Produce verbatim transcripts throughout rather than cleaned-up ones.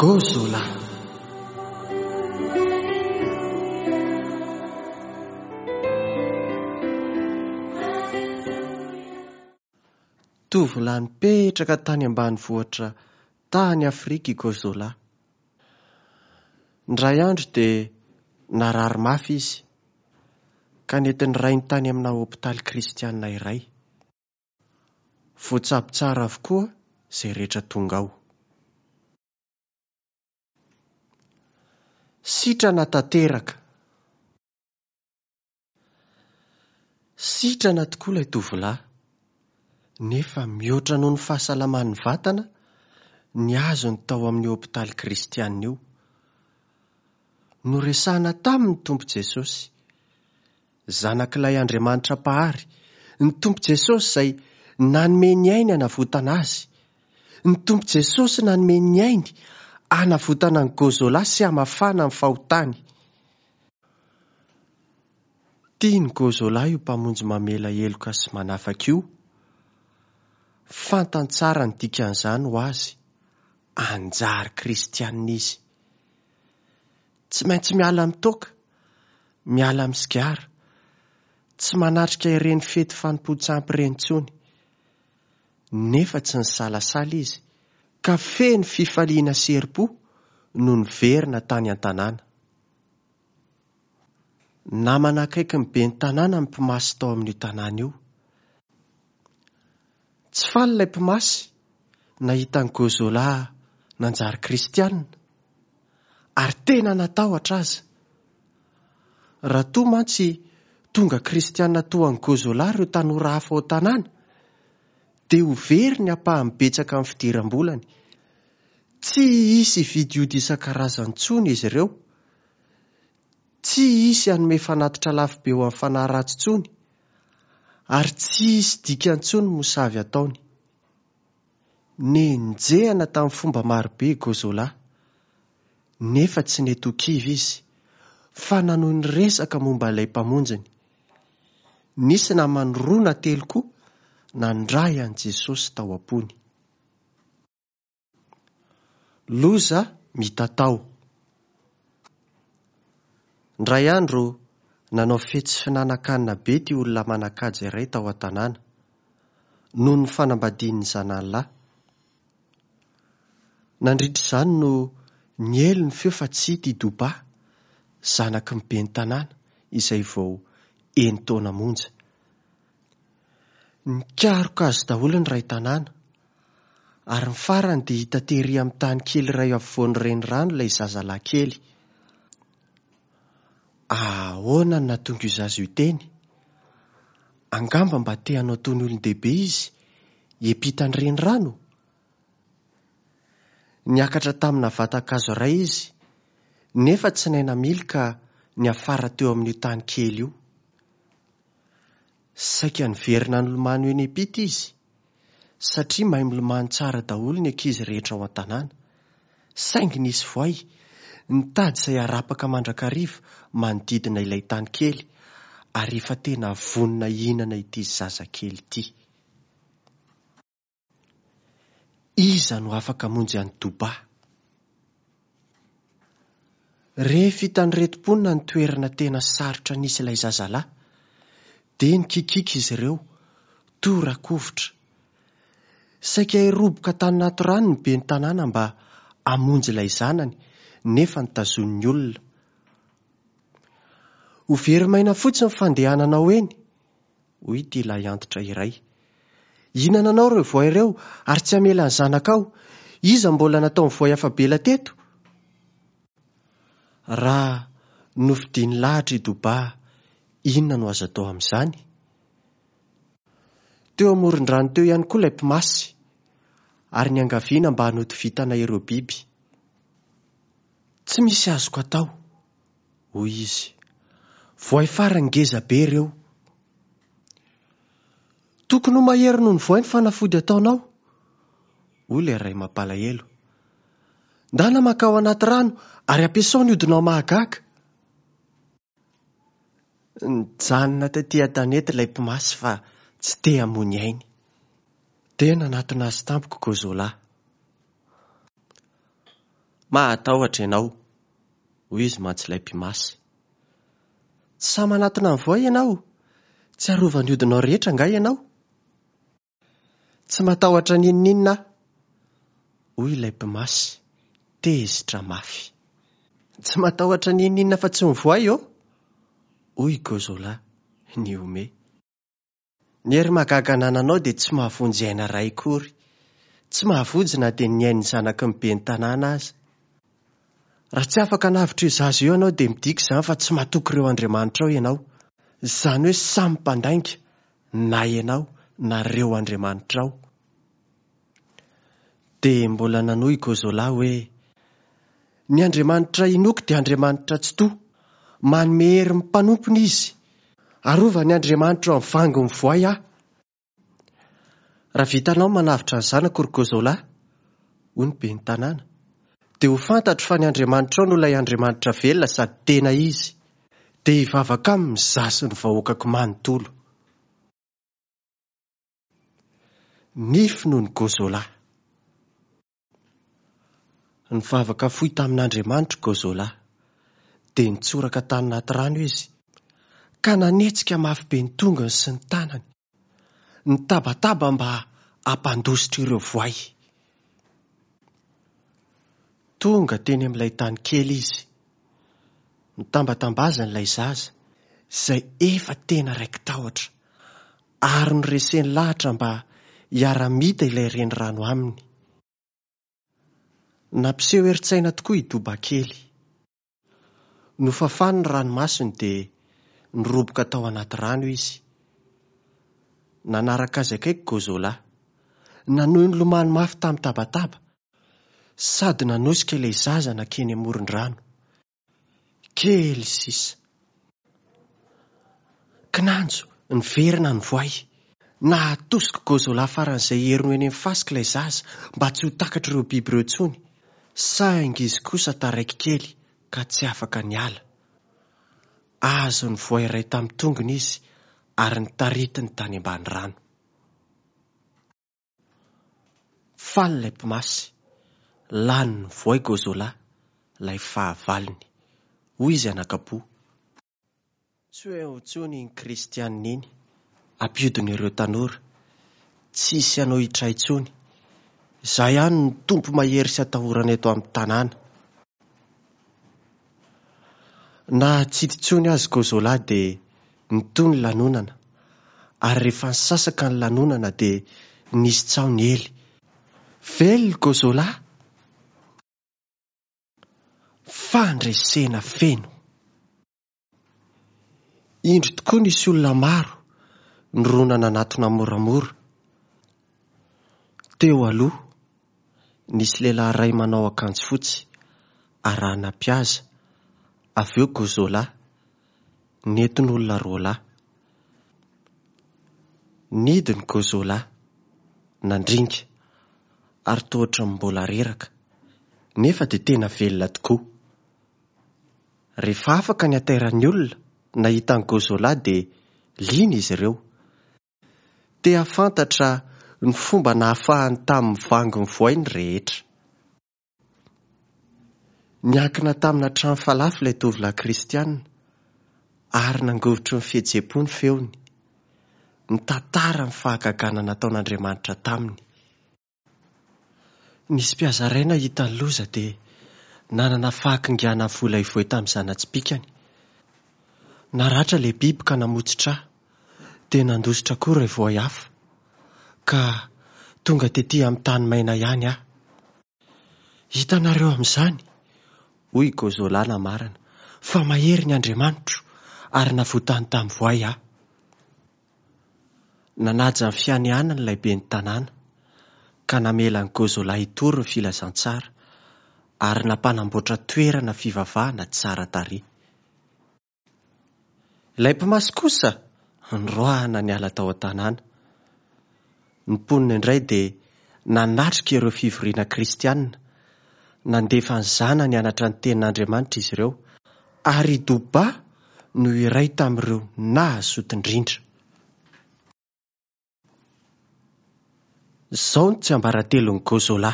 Gozola. Tovolahy nipetraka tany ambanivohitra tany Afrika i Gozola. Indray andro dia narary mafy izy ka nentin'ny rainy tany amina hopitaly kristianina iray. Voatsabo tsara avokoa izay rehetra tonga ao. Sitrana tanteraka. Sitrana tokoa ilay tovolahy, nefa mihoatra noho ny fahasalaman'ny vatana ny azony tao amin'ny hopitaly kristianina io. Noresahana taminy ny Tompo Jesosy, zanak'ilay Andriamanitra Mpahary, ny Tompo Jesosy izay nanome ny ainy hanavotana azy, ny Tompo Jesosy nanome ny ainy hanavotana ny Gozola sy hamafana ny fahotany. Tian'i Gozola io mpamonjy mamela heloka sy manafaka io. Fantany tsara ny dikan'izany ho azy, anjary kristianina izy. Tsy maintsy miala amin'ny toaka, miala amin'ny sigara, tsy manatrika ireny fety fanompoan-tsampy ireny intsony. Nefa tsy nisalasala izy, ka feno fifaliana sy herim-po no niverina tany an-tanàna. Namana akaiky ny ben'ny tanàna ny mpimasy tao amin'io tanàna io. Tsy faly ilay mpimasy nahita an'i Gozola nanjary kristianina, ary tena natahotra aza. Raha toa mantsy tonga kristianina toa an'i Gozola ireo tanora hafa ao an-tanàna, dia ho very ny ampahany betsaka amin'ny fidiram-bolany. Tsy hisy hividy ody isan-karazany intsony izy ireo. Tsy hisy hanome fanatitra lafo be ho amin'ny fanahy ratsy intsony, ary tsy hisy dikany intsony ny mosavy ataony. Nenjehana tamin'ny fomba marobe i Gozola, nefa tsy nety ho kivy izy, fa nanohy niresaka momba ilay mpamonjiny. Nisy namany roa na telo koa nandray an'i Jesosy tao am-pony. Loza mitatao. Indray andro nanao fety sy finanan-kanina be ity olona manan-kaja iray tao an-tanàna, noho ny fanambadian'ny zanany lahy. Nandritra izany no niely ny feo fa tsy hita i Doba, zanaky ny ben'ny tanàna, izay vao enin-taona monja. Nikaroka azy daholo ny iray tanàna, ary ny farany dia hita tery amin'ny tany kely iray afovoan'ny renirano ilay zazalahy kely. Ahoana no nahatonga io zaza io teny? Angamba mba te hanao toy ny olon-dehibe izy, hiampita ny renirano? Niakatra tamina vatan-kazo iray izy, nefa tsy nahay namily ka niafara teo amin'io tany kely io. Saika niverina nilomano eny am-pita izy, satria mahay milomano tsara daholo ny ankizy rehetra ao an-tanàna. Saingy nisy voay nitady izay harapaka mandrakariva manodidina ilay tany kely, ary efa tena vonona hihinana ity zazakely ity. Iza no afaka hamonjy an'i Doba? Rehefa hitan'ireto mponina ny toerana tena sarotra nisy ilay zazalahy, dia nikikiaka izy ireo, tora-kovitra. Saika hiroboka tany anaty rano ny ben'ny tanàna mba hamonjy ilay zanany, nefa notazonin'ny olona. Ho very maina fotsiny ny fandehananao eny, hoy ity lahy antitra iray. Hihinana anao ireo voay ireo ary tsy hamela ny zanakao. Iza mbola nataon'ny voay afa-bela teto? Raha nofidiny lahatra i Doba, inona no azo atao amin'izany? Teo amoron-drano teo ihany koa ilay mpimasy, ary niangaviana mba hanody vintana ireo biby. Tsy misy azoko atao, hoy izy. Voay farany ngeza be ireo. Tokony ho mahery noho ny voay ny fanafody ataonao, hoy ilay ray mampalahelo. Ndana mankao anaty rano ary ampiasao ny hodinao mahagaga. Nijanona taty an-tanety ilay mpimasy fa tsy te hamoy ainy. Dia nanatona azy tampoka Gozola. Mahatahotra ianao, hoy izy mantsy ilay mpimasy. Tsy sahy manatona ny voay ianao, tsy arovan'ny hodinao rehetra angaha ianao? Tsy matahotra n'inon'inona aho, hoy ilay mpimasy, tezitra mafy. Tsy matahotra n'inon'inona fa tsy ny voay ô, hoy i Gozola, nihomehy. Ny hery mahagaga anananao dia tsy mahavonjy aina iray akory. Tsy mahavonjy na dia ny ain'ny zanaky ny ben'ny tanàna aza. Raha tsy afaka hanavotra io zaza io ianao dia midika izany fa tsy matoky ireo andriamanitrao ianao. Izany hoe samy mpandainga na ianao na ireo andriamanitrao. Dia mbola nanohy i Gozola hoe, ny andriamanitra inoako dia andriamanitra tsitoha. Manome hery ny mpanompony izy. Arovany andriamanitra amin'ny vangon'ny voay aho. Raha vitanao manavotra ny zanako ry Gozola, hoy ny ben'ny tanàna, dia ho fantatro fa ny andriamanitrao no ilay andriamanitra velona sady tena izy. Dia hivavaka aminy izaho sy ny vahoakako manontolo. Ny finoan'i Gozola. Nivavaka fohy tamin'Andriamanitra Gozola, dia nitsoraka tany anaty rano izy, ka nanetsika mafy be ny tongony sy ny tanany, nitabataba mba hampandositra ireo voay. Tonga teny amin'ilay tany kely izy. Nitambatambazany ilay zaza, izay efa tena raiki-tahotra, ary noreseny lahatra mba hiara-mita ilay renirano aminy. Nampiseho herin-tsaina tokoa i Doba kely. Nofafany ny ranomasony dia niroboka tao anaty rano izy. Nanaraka azy akaiky Gozola. Nanohy nilomano mafy tamin'ny tabataba, sady nanosika ilay zaza nankeny amoron-drano. Kely sisa. Kinanjo, niverina ny voay. Nahatosika Gozola faran'izay heriny ho eny amin'ny fasika ilay zaza mba tsy ho takatr'ireo biby ireo intsony. Saingy izy kosa taraiky kely ka tsy afaka niala. Azon'ny voay iray tamin'ny tongony izy ary notaritiny tany ambany rano. Faly ilay mpimasy, lanin'ny voay Gozola, ilay fahavalony, hoy izy anakapo. Tsy ho eo intsony iny kristianina iny, ampiodina ireo tanora. Tsy hisy hanohitra intsony. Izaho ihany no tompo mahery sy atahorana eto amin'ny tanàna. Na tsy hita intsony azy Gozola dia nitohy ny lanonana, ary rehefa nisasaka ny lanonana dia nisy tsaho niely. Velona Gozola! Fandresena feno. Indro tokoa nisy olona maro nirona nanatona moramora. Teo aloha, nisy lehilahy iray manao akanjo fotsy arahana mpihaza, avy eo Gozola, nentin'olona roa lahy. Nidina Gozola, nandringa, ary toa ohatran'ny mbola reraka, nefa dia tena velona tokoa. Rehefa afaka ny hatairan'ny olona nahita an'i Gozola dia liana izy ireo. Te hahafantatra ny fomba nahafahany tamin'ny vangon'ny voay ny rehetra. Niankina tamina trano falafy ilay tovolahy kristianina ary nangovitry ny fihetseham-po ny feony. Nitantara ny fahagagana nataon'Andriamanitra taminy. Nisy mpihaza iray nahita ny loza dia nanana fahakingana vola ivoy tamin'ny zana-tsipìkany. Naratra ilay biby ka namotsitra ahy, dia nandositra koa ireo voay hafa, ka tonga tety amin'ny tany maina ihany aho. Hitanareo amin'izany, hoy i Gozola namarana, fa mahery ny Andriamanitro ary navotany tamin'ny voay aho. Nanaja ny fianianany ilay ben'ny tanàna, ka namela an'i Gozola hitory ny filazantsara ary nampanamboatra toerana fivavahana tsara tarehy. Ilay mpimasy kosa noroahana niala tao an-tanàna. Ny mponina indray dia nanatrika ireo fivoriana kristianina, nandefa ny zanany hianatra ny tenin'Andriamanitra izy ireo, ary i Doba no iray tamin'ireo nahazoto indrindra. Izao no tsiambaratelon'i Gozola.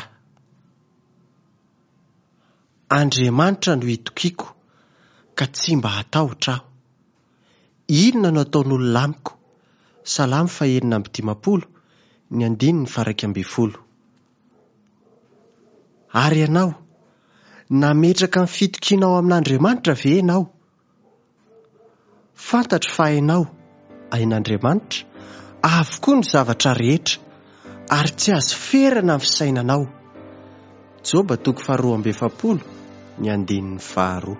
Andriamanitra no itokiako, ka tsy mba hatahotra aho. Inona no ataon'olona amiko? Salamo fahenina amby dimampolo, ny andininy faha-iraika ambin'ny folo. Ary ianao, nametraka ny fitokianao amin'Andriamanitra ve ianao? Fantatro fa hainao, hain'Andriamanitra, avokoa ny zavatra rehetra, ary tsy azo ferana ny fisainanao. Joba toko faharoa amby efapolo, ny andininy faharoa.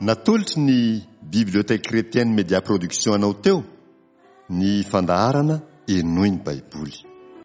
Natolotry ny Bibliothèque Chrétienne Média Production anao teo ny fandaharana Henoy ny Baiboly.